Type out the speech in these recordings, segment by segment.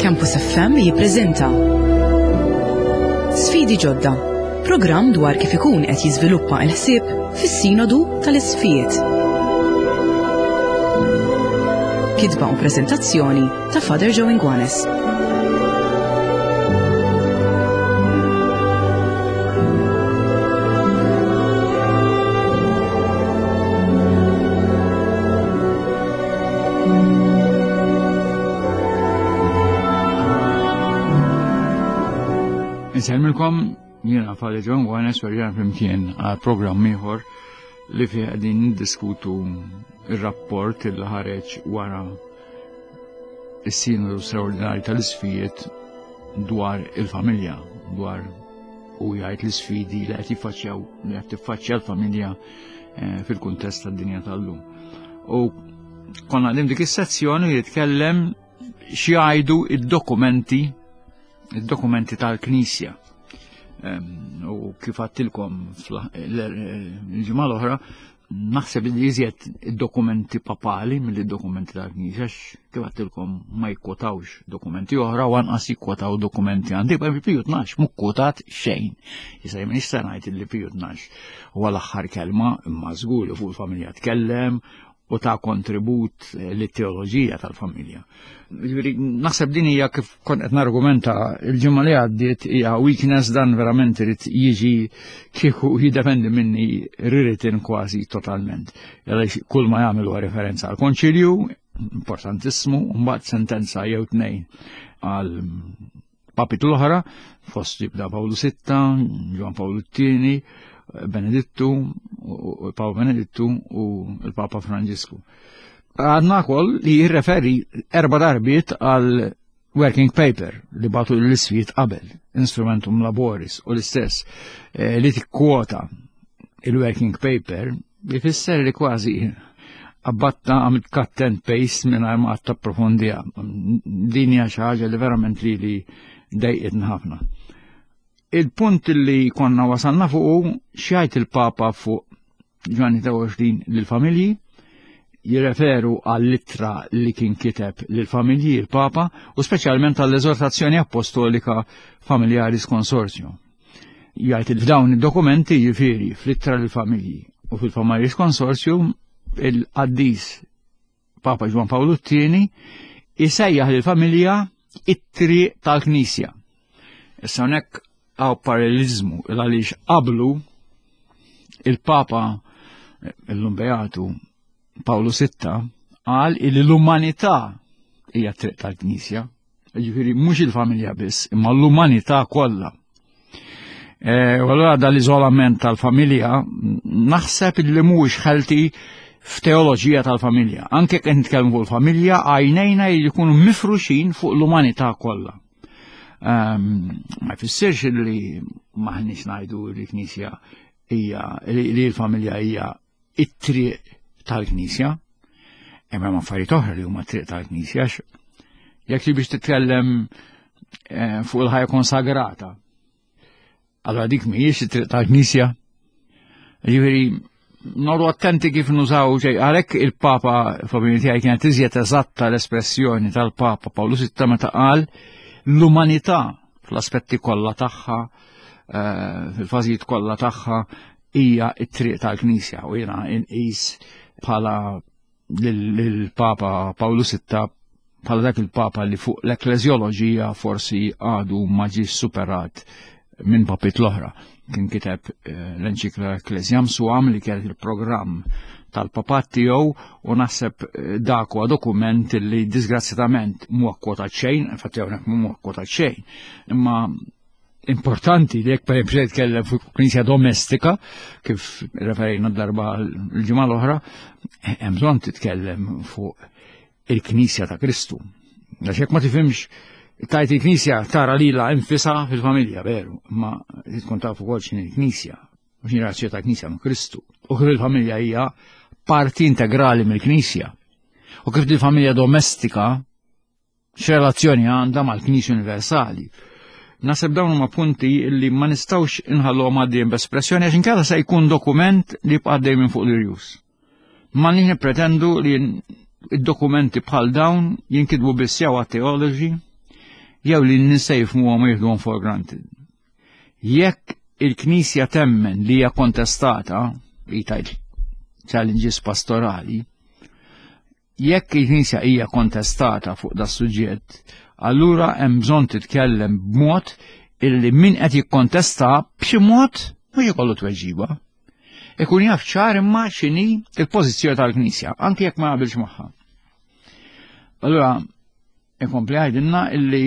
Campus FM jippreżenta Sfidi ġodda, programm dwar kif ikun qed jiżviluppa l-ħsieb fis-Sinodu tal-Isqfijiet. Kitba u preżentazzjoni ta' Father Joe Ingwanes. Insellmilkom jiena Father John Gwanes u rġan flimkien għal programm ieħor li fih qegħdin niddiskutu ir-rapport il ħareġ wara is-sinodu straordinarju tal-isfijiet dwar il-familja, dwar u jgħid l-isfidi li qed jiffaċċjaw li qed tiffaċċja l-familja eh, fil-kuntest tad-dinja tal-lum. U konna għadim dik is-sezzjoni li jitkellem x'jgħidu id-dokumenti id-dokumenti tal-Knisja. U kif għattilkom l-ġimgħa l-oħra, naħseb li iżjed id-dokumenti papali mill dokumenti tal-Knisja kif għattilkom ma jikkwotawx dokumenti oħra u anqas jikkwotaw dokumenti għandi, per Piju 12 mhu kkwotat xejn. Issa jien nista' ngħid li Piju 12 huwa l-aħħar kelma imma żgur li fuq il-familja tkellem u ta' kontribut eh, lit-teoloġija tal-familja. Jiġifieri, naħseb din hija kif kont qed nargumenta il-ġimgħa li għaddiet hija weakness dan verament irid jiġi kieku jiddependi minni rewritten kważi totalment. Għaliex kull ma jagħmel huwa referenza għal konċilju, importantissimu, mbagħad sentenza jew tnejn għal Papi l-oħra, fost jibda Pawlu VI, Ġwan Pawlu II, Benedittu, Paolo Benedittu u l-Papa Franġisku. Għadna kol li jirreferi erba darbiet għal working paper li batu l-isfijiet qabel, instrumentum laboris u l-istess eh, li tikkwota il-working paper jifisser li kważi abbatta għamilt cut and paste minn ma għatta approfondija. Din hija xi ħaġa li verament li li dejqitni ħafna. Il-punt li konna wasalna fuqu xjajt il-Papa fuq Ġwanni 23 lill-familji, jirreferu għall-ittra li kien kiteb lill-familji il-Papa u speċjalment għall-eżortazzjoni apostolika Familiaris Consortium. Jgħid li f'dawn id-dokumenti jiġifieri fl-ittra lill-familji u fil-Familiaris Consortium il-qaddis Papa Ġwan Pawlu t-tieni isejjaħ lill-familja it-triq tal-Knisja. Issa hawnhekk hawn paralleliżmu għaliex qablu il-Papa illum Beatu Pawlu VI qal li l-umanità hija triq tal-Knisja. Ġifieri mhux il-familja biss, imma l-umanità kollha. E, u allura dal-iżolament tal-familja naħseb li mhuwiex ħelti f'teoloġija tal-familja. Anke kien nitkellmu fuq il-familja, għajnejna jkunu mifruxin fuq l-umanità kollha. Ehm, ma jfissirx li maħniex ngħidu li l-Knisja hija li l-familja hija it-triq tal-Knisja. Hemm hemm affarijiet oħra li huma triq tal-Knisja. Jekk li biex titkellem eh, fuq il-ħajja konsagrata. Allora dik mhijiex it-triq tal-Knisja. Ġifieri nodu attenti kif nużaw ġej għalhekk il-Papa f'opinjoni tiegħi kienet iżjed eżatta l-espressjoni tal-Papa Pawlu VI meta qal l-umanità fl-aspetti kollha tagħha, eh, fil-fażijiet kollha tagħha hija t-triq tal-Knisja u jiena inqis bħala lill-Papa Pawlu VI bħala dak il-Papa li fuq l-ekleżjoloġija forsi għadu ma ġiex superat minn papit l-oħra. Kien kiteb eh, l-enċikla Ecclesiam Suam li kienet il-programm tal-papat tiegħu u naħseb eh, dak huwa dokument li disgrazzjatament mhu akkwotat xejn, infatti hawnhekk mhu akkwotat xejn, imma importanti li jekk per eżempju jitkellem fuq knisja domestika, kif referejna darba l-ġimgħa l-oħra, hemm bżonn titkellem fuq il-Knisja ta' Kristu. Għax jekk ma tifhimx tajt il-Knisja tara lilha infisha fil-familja, veru, ma tkun taf ukoll x'inhi l-Knisja, u x'inhi razzju ta' Knisja ma' Kristu. U kif il-familja hija parti integrali mill-Knisja. U kif il-familja domestika x'relazzjoni għandha mal-Knisja Universali. Naseb dawn huma punti li ma nistgħux inħalluhom għaddejjin b'espressjoni għax inkella se jkun dokument li jibqa' għaddej minn fuq l-irjus. Ma nix nippretendu li id-dokumenti bħal dawn jinkitbu biss jew għat-teoloġi. jew li n-nies se jifhmuhom u jieħduhom for granted. Jekk il-Knisja temmen li hija kontestata, li tajt challenges pastorali, jekk il-Knisja hija kontestata fuq da suġġett, allura hemm bżonn titkellem b'mod illi min qed jikkontesta b'xi mod mhux ikollu tweġiba. Ikun jaf ċar imma x'inhi il-pożizzjoni tal-Knisja, anke jekk ma jaqbilx magħha. Allura, ikompli għajdinna illi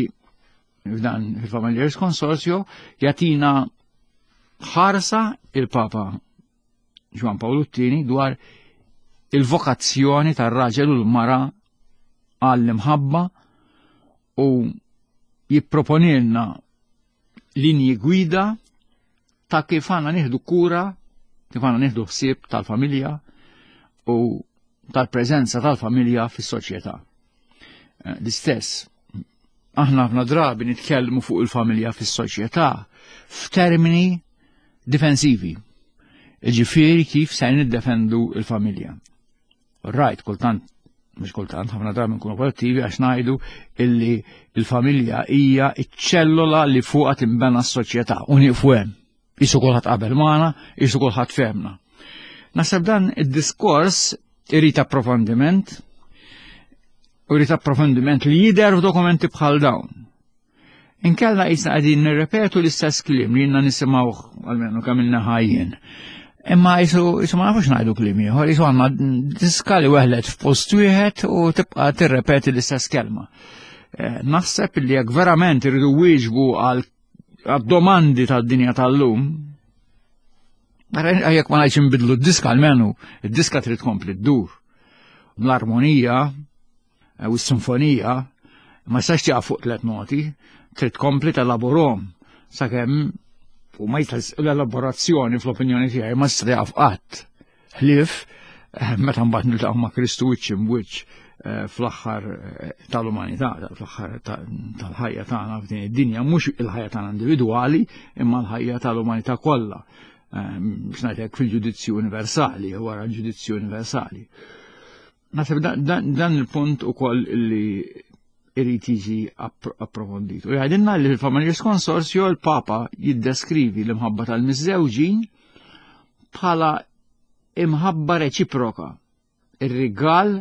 f'dan il-Familiaris Consortio jatina ħarsa il-Papa Ġwan Pawlu t-tieni dwar il-vokazzjoni tar-raġel u l-mara għall-imħabba u jipproponilna linji gwida ta' kif għandna nieħdu kura, kif għandna nieħdu ħsieb tal-familja u tal-preżenza tal-familja fis-soċjetà. Eh, l-istess, aħna ħafna drabi nitkellmu fuq il-familja fis-soċjetà f'termini difensivi. Ġifieri kif se niddefendu il-familja. Rajt, kultant, mhux kultant, ħafna drabi nkunu kollettivi għax ngħidu illi il-familja hija ċ-ċellola li fuqha tinbena s-soċjetà u nieqfu hemm. Isu kulħadd qabel magħna, isu kulħadd fehmna. Naħseb dan id-diskors irid approfondiment, u jrid approfondiment li jidher f'dokumenti bħal dawn. Inkella jisna qegħdin nirrepetu l-istess kliem li jinnna nisimgħuh għalmenu kemm ilna ħajjin. Imma jisu jisu ma nafux ngħidu kliem ieħor, jisu għandna diska li weħlet f'post wieħed u tibqa' tirrepeti l-istess kelma. Eh, naħseb li jekk verament irridu wieġbu għal għad-domandi tad-dinja tal-lum, jekk ma ngħidx inbidlu d-diska almenu, id-diska trid tkompli ddur. L-armonija eh, u s-sinfonija ma jistax tieqaf fuq tliet noti, trid tkompli telaborhom sakemm u ma jistax l-elaborazzjoni fl-opinjoni tiegħi ma tista' tieqaf qatt. Ħlief eh, meta mbagħad niltaqgħu ma' Kristu wiċċ imwiċċ eh, fl-aħħar eh, tal-umanità, fl-aħħar tal-ħajja tagħna f'din id-dinja, mhux il-ħajja tagħna individwali, imma l-ħajja tal-umanità kollha. Biex ngħidlek fil-ġudizzju universali, wara l-ġudizzju universali. Naħseb dan il-punt ukoll li irid jiġi approfondit. U jgħidilna li fil-Familiaris Consortio l-Papa jiddeskrivi l-imħabba tal-miżżewġin bħala imħabba reċiproka, ir-rigal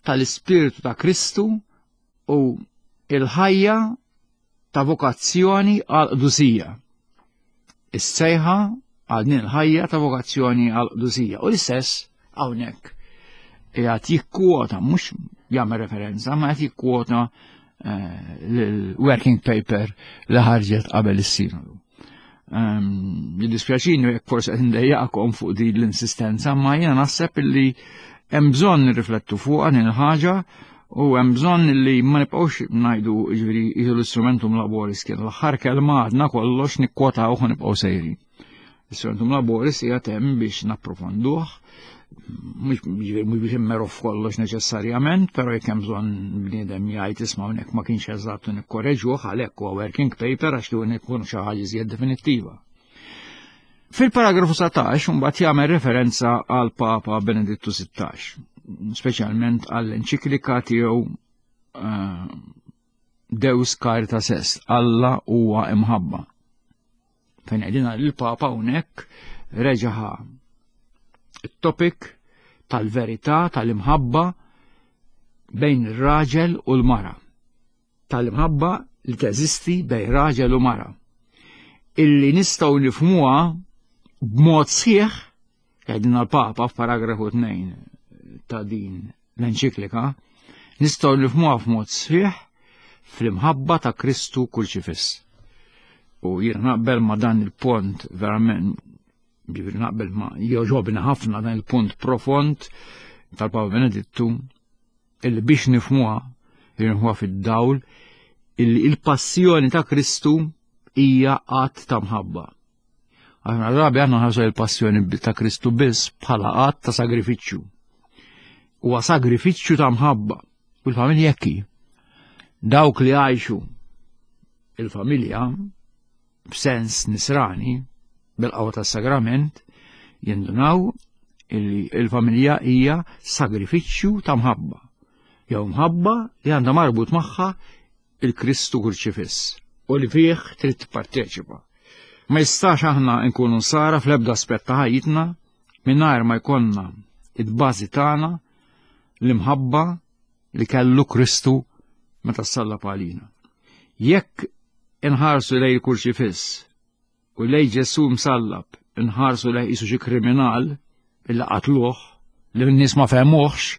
tal-Ispirtu ta' Kristu u il-ħajja ta' vokazzjoni għal qdusija. Is-sejħa għal din il-ħajja ta' vokazzjoni għal qdusija. U l-istess hawnhekk qiegħed jikkwota mhux jagħmel referenza, ma qed jikkwota eh, l-working paper li ħarġet qabel is-sinodu. Ehm, jiddispjaċini jekk forsi qed ndejjaqkom fuq din l-insistenza, ma jiena naħseb illi hemm bżonn nirriflettu fuqha din il-ħaġa u hemm bżonn li ma nibqgħux ngħidu jiġifieri l-istrumentum laboris kien l-aħħar kelma għadna kollox nikkwotaw u nibqgħu sejrin. L-istrumentum laboris hija hemm biex napprofonduh, mhux biex immeru f'kollox neċessarjament, però jekk hemm bżonn bniedem jgħid isma' hawnhekk ma kienx eżatt u nikkoreġuh għalhekk huwa working paper għax li ikun xi ħaġa iżjed definittiva. Fil-paragrafu 17 mbagħad jagħmel referenza għal Papa Benedittu 16, speċjalment għall-enċiklika tiegħu eh, Deus Caritas Est, Alla huwa imħabba. Fejn qegħdin il-Papa hawnhekk reġaħa it-topic tal-verità tal-imħabba bejn ir-raġel u l-mara. Tal-imħabba li teżisti bejn raġel u mara. Illi nistgħu nifhmuha b'mod sħiħ Għedna l-Papa f'paragrafu 2 ta' din l-enċiklika, nistgħu nifhmuha f'mod sħiħ fl-imħabba ta' Kristu kurċifiss. U jiena naqbel ma' dan il-punt verament, ġifieri naqbel ma' joġobni ħafna dan il-punt profond tal-Papa Benedittu illi biex nifhmuha, nifhmuha fid-dawl illi il-passjoni ta' Kristu hija att ta' mħabba. Aħna drabi aħna nħarsu il-passjoni ta' Kristu biss bħala att ta' sagrifiċċju. Huwa sagrifiċċju ta' mħabba. U l-familja hekk hi. Dawk li għajxu il-familja b'sens nisrani bil-qawwa tas-sagrament jindunaw illi il-familja hija sagrifiċċju ta' mħabba. Jew mħabba li għandha marbut magħha il-Kristu kurċifiss u li fih trid tipparteċipa. Ma jistax aħna nkunu nsara fl-ebda aspett ta' ħajjitna mingħajr ma jkollna id-bażi tagħna l-imħabba li kellu Kristu meta sallab għalina. Jekk inħarsu lejn il-kurċifiss u lej Ġesù msallab inħarsu lejh qisu xi kriminal illi qatluh li n-nies ma fehmuhx,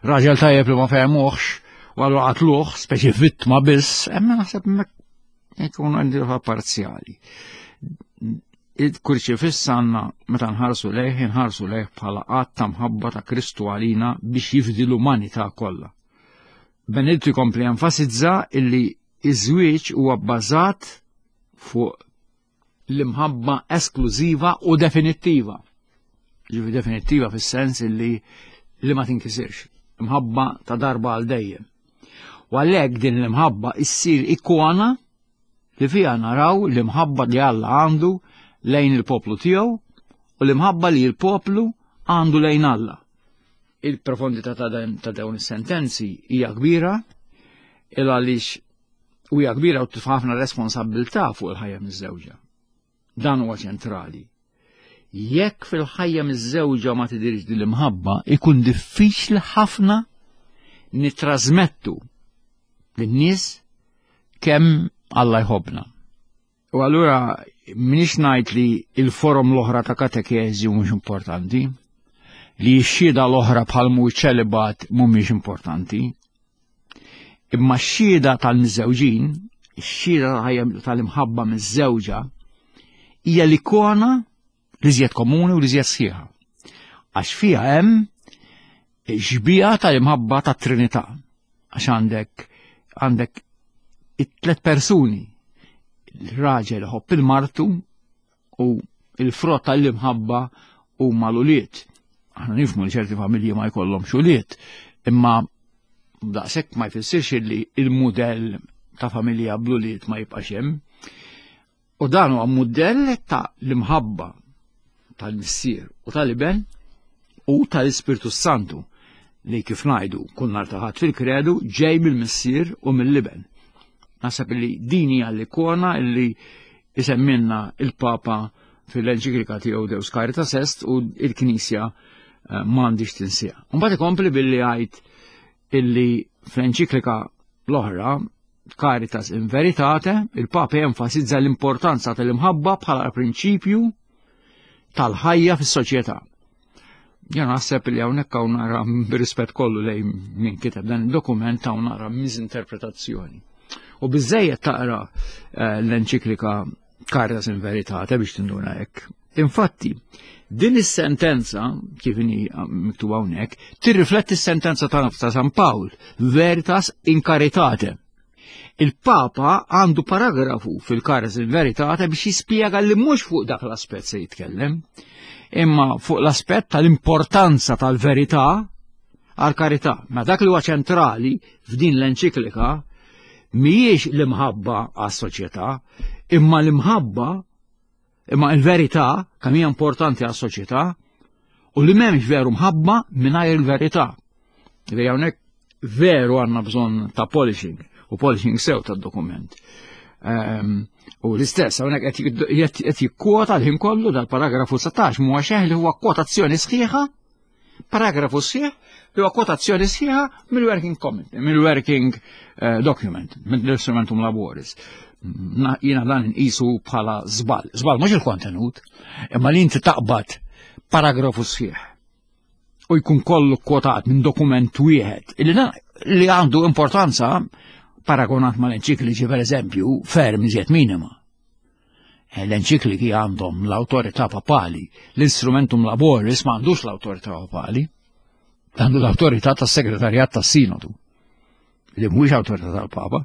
raġel tajjeb li ma fehmuhx, u allura qatluh, speċi vittma biss, imma naħseb hemmhekk ikun għandi parzjali. Il-kurċifiss għandna meta nħarsu lejh, inħarsu lejh bħala qatt ta' mħabba ta' Kristu għalina biex jifdi l-umanità kollha. Benedittu jkompli enfasizza illi iż-żwieġ huwa bbażat fuq l-imħabba esklużiva u definittiva. Ġifi definittiva fis-sens illi li ma tinkisirx. Imħabba ta' darba għal dejjem. U għalhekk din l-imħabba issir ikona li fiha naraw l-imħabba li Alla għandu lejn il-poplu tiegħu u l-imħabba li l-poplu għandu lejn Alla. Il-profondità ta' dawn is-sentenzi hija kbira il għaliex u hija kbira u titfa' ħafna responsabilità fuq il-ħajja miż-żewġa. Dan huwa ċentrali. Jekk fil-ħajja miż-żewġa ma tidirx din l-imħabba, ikun diffiċli ħafna nitrasmettu lin-nies kemm Alla jħobbna. U allura minix ngħid li il-forom l-oħra ta' katekeżi mhux importanti, li x-xhieda l-oħra bħal mu ċelibat mhumiex importanti. Imma x-xhieda tal-miżżewġin, x-xhieda tal-imħabba miż-żewġa, hija l-ikona li żjed komuni u li żjed sħiħa. Għax fiha hemm xbija tal-imħabba tat-Trinità. Għax għandek għandek it-tlet persuni il-raġel iħobb il-martu u il-frott tal-imħabba huma l-ulied. Aħna nifhmu li ċerti familji ma jkollhomx ulied, imma daqshekk ma jfissirx li il-mudell ta' familja bl-ulied ma jibqax hemm. U dan huwa mudell ta' l-imħabba tal-Missier u tal-Iben u tal-Ispirtu Santu li kif ngħidu kull nhar ta' Ħadd fil-kredu ġej mill-Missier u mill-Iben. Naħseb li din hija l-ikona li isemmilna il-Papa fil-enċiklika tiegħu Deus Caritas Est u l-Knisja eh, m'għandix tinsieha. Mbagħad ikompli billi jgħid illi fl-enċiklika l-oħra Caritas in Veritate, il-Papa jenfasizza l-importanza tal-imħabba bħala prinċipju tal-ħajja fis-soċjetà. Jien naħseb li hawnhekk hawn nara b'rispett kollu lejn min kiteb dan id-dokument hawn nara miżinterpretazzjoni. U biżejjed taqra eh, l-enċiklika Caritas in Veritate biex tinduna hekk. Infatti, din is-sentenza, kif inhi ah, miktuba hawnhekk, tirrifletti s-sentenza ta' ta' San Pawl, Veritas in Caritate. Il-Papa għandu paragrafu fil-Caritas in Veritate biex jispjega li mhux fuq dak l-aspett se jitkellem, imma fuq l-aspett tal-importanza tal-verità għal karità. Ma dak li huwa ċentrali f'din l-enċiklika mhijiex l-imħabba għas-soċjetà, imma l-imħabba imma il-verità kemm hija importanti għas-soċjetà u li m'hemmx veru mħabba mingħajr il-verità. Li hawnhekk veru għandna bżonn ta' polishing u polishing sew tad-dokument. Ehm, u l-istess, hawnhekk qed jikkwota l-ħin kollu dal-paragrafu 16 mhuwa xeħ li huwa kwotazzjoni sħiħa Paragrafu sħiħ li huwa kwotazzjoni sħiħa mill-working comment, mill-working eh, document, mill-instrumentum laboris. Jiena dan nqisu bħala żball. Żball mhux il-kontenut, imma li inti taqbad paragrafu sħiħ u jkun kollu kwotat minn dokument wieħed li li għandu importanza paragonat mal-enċikliċi per eżempju ferm iżjed minima. Eh, l-enċikliki għandhom l-autorità papali, l-instrumentum laboris ma għandux l-autorità papali, għandu l-autorità tas-segretarjat tas-sinodu, li mhuwiex autorità tal-papa,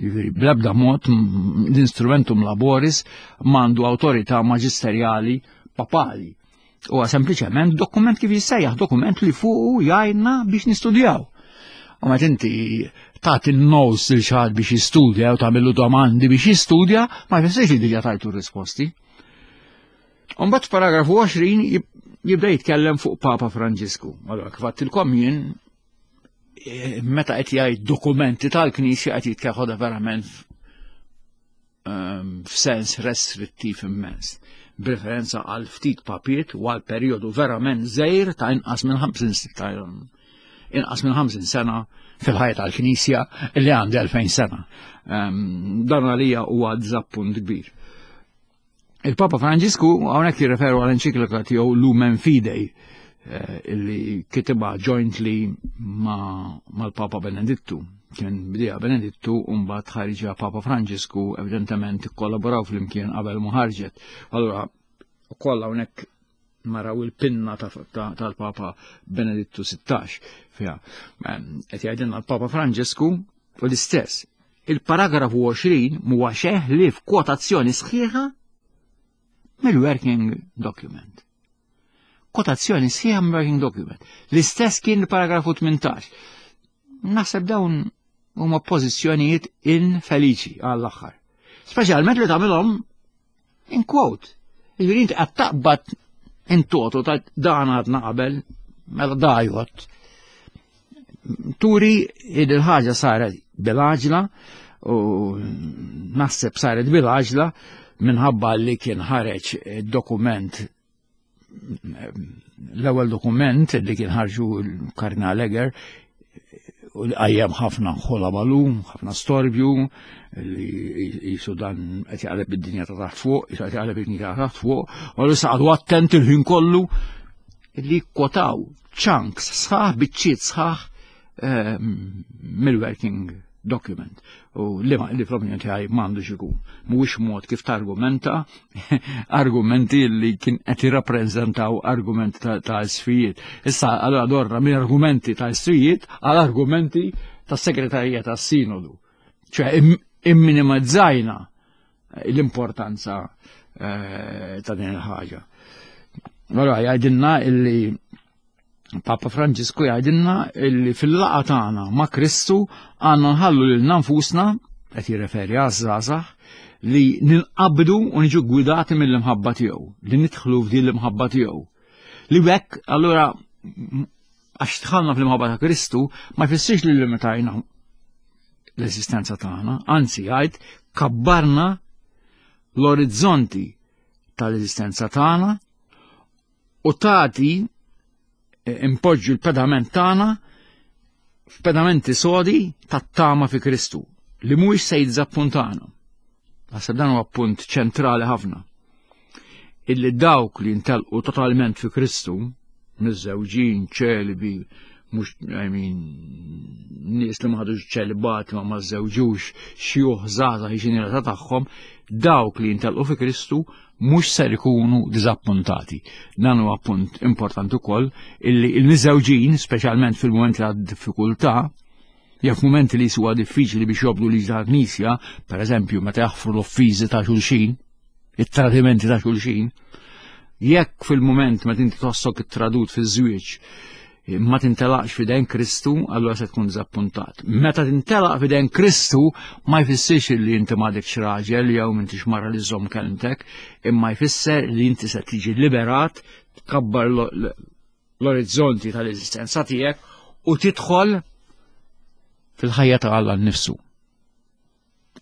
jiġifieri bl-ebda mod l-instrumentum laboris m'għandu autorità maġisterjali papali. Huwa sempliċement dokument kif jissejjaħ, dokument li fuqu jgħinna biex nistudjaw. U meta inti tagħti n-notes lil xi biex jistudja u tagħmillu domandi biex jistudja, ma jfissirx li diġà tajtu r-risposti. Mbagħad f'paragrafu 20 jibda jitkellem fuq Papa Franġisku. Allora kif għattilkom jien. eh, meta qed jgħid dokumenti tal-Knisja qed jitkeħodha verament ehm, f'sens restrittiv immens, b'referenza għal ftit papiet u għal perjodu verament żgħir ta' inqas minn 50 ta' inqas minn 50 sena fil-ħajja tal-Knisja li għandi 2000 sena. Ehm, dan għalija huwa diżappunt kbir. Il-Papa Franġisku hawnhekk jirreferu għal enċiklika tiegħu Lumen Fidei eh, illi kitibha jointly mal-Papa Benedittu. Kien bdieha Benedittu u mbagħad ħarġa Papa Franġisku evidentement ikkollaboraw flimkien qabel ma ħarġet. Allura ukoll hawnhekk naraw il-pinna tal-Papa Benedittu 16 fiha. Qed jgħidilna l-Papa Franġisku u l-istess. Il-paragrafu 20 huwa xeħ li f'kwotazzjoni sħiħa mill-working document. Kwotazzjoni sħiħa mill-working document. L-istess kien il-paragrafu 18. Naħseb dawn huma pożizzjonijiet infeliċi għall-aħħar. Speċjalment li tagħmilhom In quote, jiġifieri inti qed taqbad in toto ta' dan għadna qabel, mela dajot. Turi il-ħaġa saret bil-għaġla u naħseb saret bil-għaġla minħabba li kien ħareġ dokument l-ewwel dokument li kien ħarġu l-Kardinal Eger u li qajjem ħafna ħola balu, ħafna storbju, li jisu dan qed jaqleb id-dinja ta' taħt fuq, jisu qed jaqleb id-dinja ta' taħt fuq, u li saqadu attent il-ħin kollu li kwotaw chunks sħaħ, biċċiet sħaħ eh, mill-working document u li li fl-opinjoni tiegħi m'għandux ikun. Mhuwiex mod kif targumenta argumenti li kien qed jirrappreżentaw argumenti ta' isfijiet. Issa allura dorra minn argumenti ta' isfijiet għal argumenti tas segretarija tas-sinodu. ċe imminimizzajna l-importanza eh, ta' din il-ħaġa. Allora jgħidilna illi Papa Franġisku jgħidilna illi fil-laqa tagħna ma' Kristu għandna nħallu lil nfusna qed jirreferi għaż-żgħażagħ li ninqabdu u niġu gwidati mill-imħabba tiegħu, li nidħlu f'din l-imħabba tiegħu. Li bekk allura għax dħalna fl-imħabba ta' Kristu ma jfissirx li limitajna l-eżistenza tagħna, anzi jgħid kabbarna l-orizzonti tal-eżistenza tagħna u tagħti eh, impoġġu l-pedament tagħna f'pedamenti sodi tat-tama fi Kristu li mhuwiex se jiżappuntana. Naħseb dan huwa punt ċentrali ħafna. Illi dawk li jintelqu totalment fi Kristu, miżżewġin, ċelibi, mhux I mean, nies li ma ħadux ċelibat ma ma żewġux xjuħ żgħażagħ ġenerata tagħhom, dawk li jintelqu fi Kristu mhux ser ikunu diżappuntati. Dan huwa punt importanti wkoll illi l-miżewġin, speċjalment fil-mument ta' diffikultà, jew f'mumenti li huwa diffiċli biex jobdu liġi tal-Knisja, pereżempju meta jaħfru l-offiżi ta' xulxin, it-tradimenti ta' xulxin, jekk fil-mument meta inti tħossok ittradut fiż-żwieġ ma tintelaqx fidejn Kristu, allura se tkun diżappuntat. Meta tintelaq fidejn Kristu, ma jfissirx li inti m'għadekx raġel jew m'intix mara li żomm kelmtek, imma jfisser li inti se tiġi liberat, tkabbar l-orizzonti tal-eżistenza tiegħek u tidħol fil-ħajja ta' Alla nnifsu.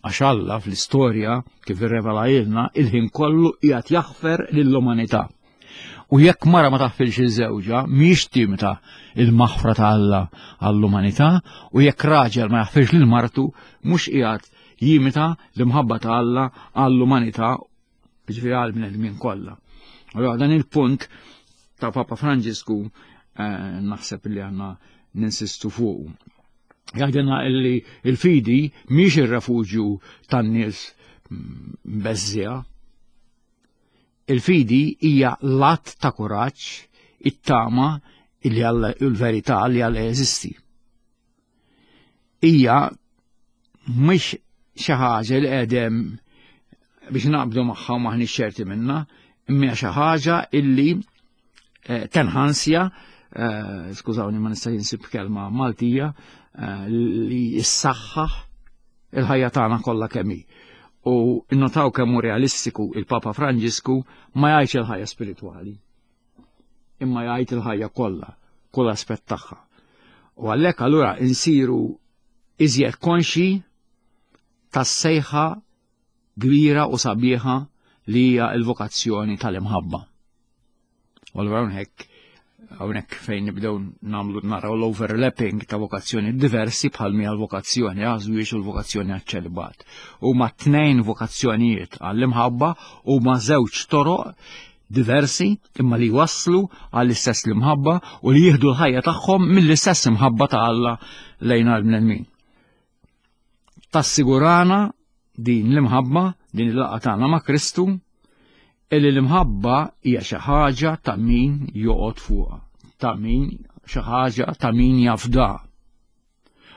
Għax Alla fl-istorja kif irrevelajilna il-ħin kollu qiegħed jaħfer lill-umanità. U jekk mara ma taħfilx il-żewġa, mhijiex timita il-maħfra ta' Alla għall-umanità, u jekk raġel ma jaħfirx lil martu, mhux qiegħed jimita l-imħabba ta' Alla għall-umanità ġifieri għal bnedmin kollha. Allora dan il-punt ta' Papa Franġisku eh, naħseb li għandna ninsistu fuq. Jgħidilna illi il-fidi mhix ir-refuġju tan-nies beżżija. Il-fidi hija l-att ta' kuraġġ, it-tama illi Alla il-verità li Alla jeżisti. Hija mhix xi ħaġa li qegħdem biex naqbdu magħha u maħniex ċerti minnha, imma xi ħaġa illi eh, tenħansja, eh, skużawni ma nista' jinsib kelma Maltija, eh, li jissaħħaħ il-ħajja tagħna kollha kemm hi. U notaw kemm hu realistiku il-Papa Franġisku ma jgħidx il-ħajja spiritwali, imma jgħid il-ħajja kollha, kull aspett tagħha. U għalhekk allura insiru iżjed konxi tas-sejħa kbira u sabiħa li hija l-vokazzjoni tal-imħabba. U allura hawnhekk hawnhekk fejn nibdew nagħmlu naraw l-overlapping ta' vokazzjoni diversi bħal mija l-vokazzjoni għażwiex u l-vokazzjoni għaċ-ċelibat. Huma tnejn vokazzjonijiet għall-imħabba huma żewġ toroq diversi imma li waslu għall-istess l-imħabba u li jieħdu l-ħajja tagħhom mill-istess imħabba ta' Alla lejn għall-bnedmin. Tassigurana din l-imħabba, din il-laqgħa tagħna ma' Kristu, illi l-imħabba hija xi ħaġa ta' min joqgħod fuqha, ta' min xi ħaġa ta' min jafda.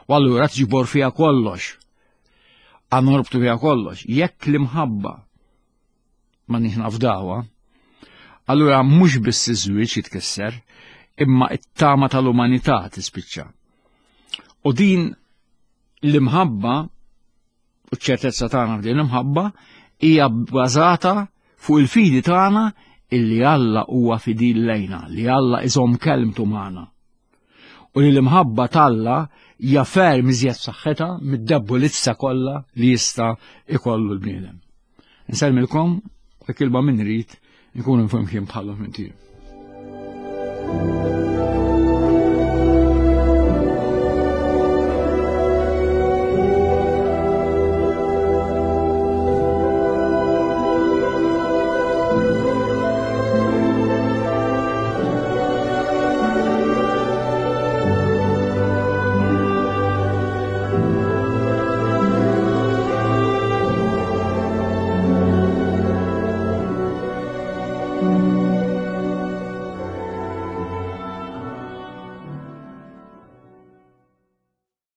U allura tġibor fiha kollox. Għandna norbtu fiha kollox. Jekk l-imħabba ma nafdawha, allura mhux biss iż-żwieġ jitkisser, imma it-tama tal-umanità tispiċċa. U din l-imħabba u ċ-ċertezza tagħna f'din l-imħabba hija bbażata fuq il-fidi tagħna illi Alla huwa fidil lejna, li Alla iżomm kelmtu magħna. U li l-imħabba t'Alla hija ferm iżjed saħħetha mid-debbolizza kollha li jista' ikollu l-bniedem. Nsellmilkom u kilba minn rid nkunu flimkien bħalhom minn.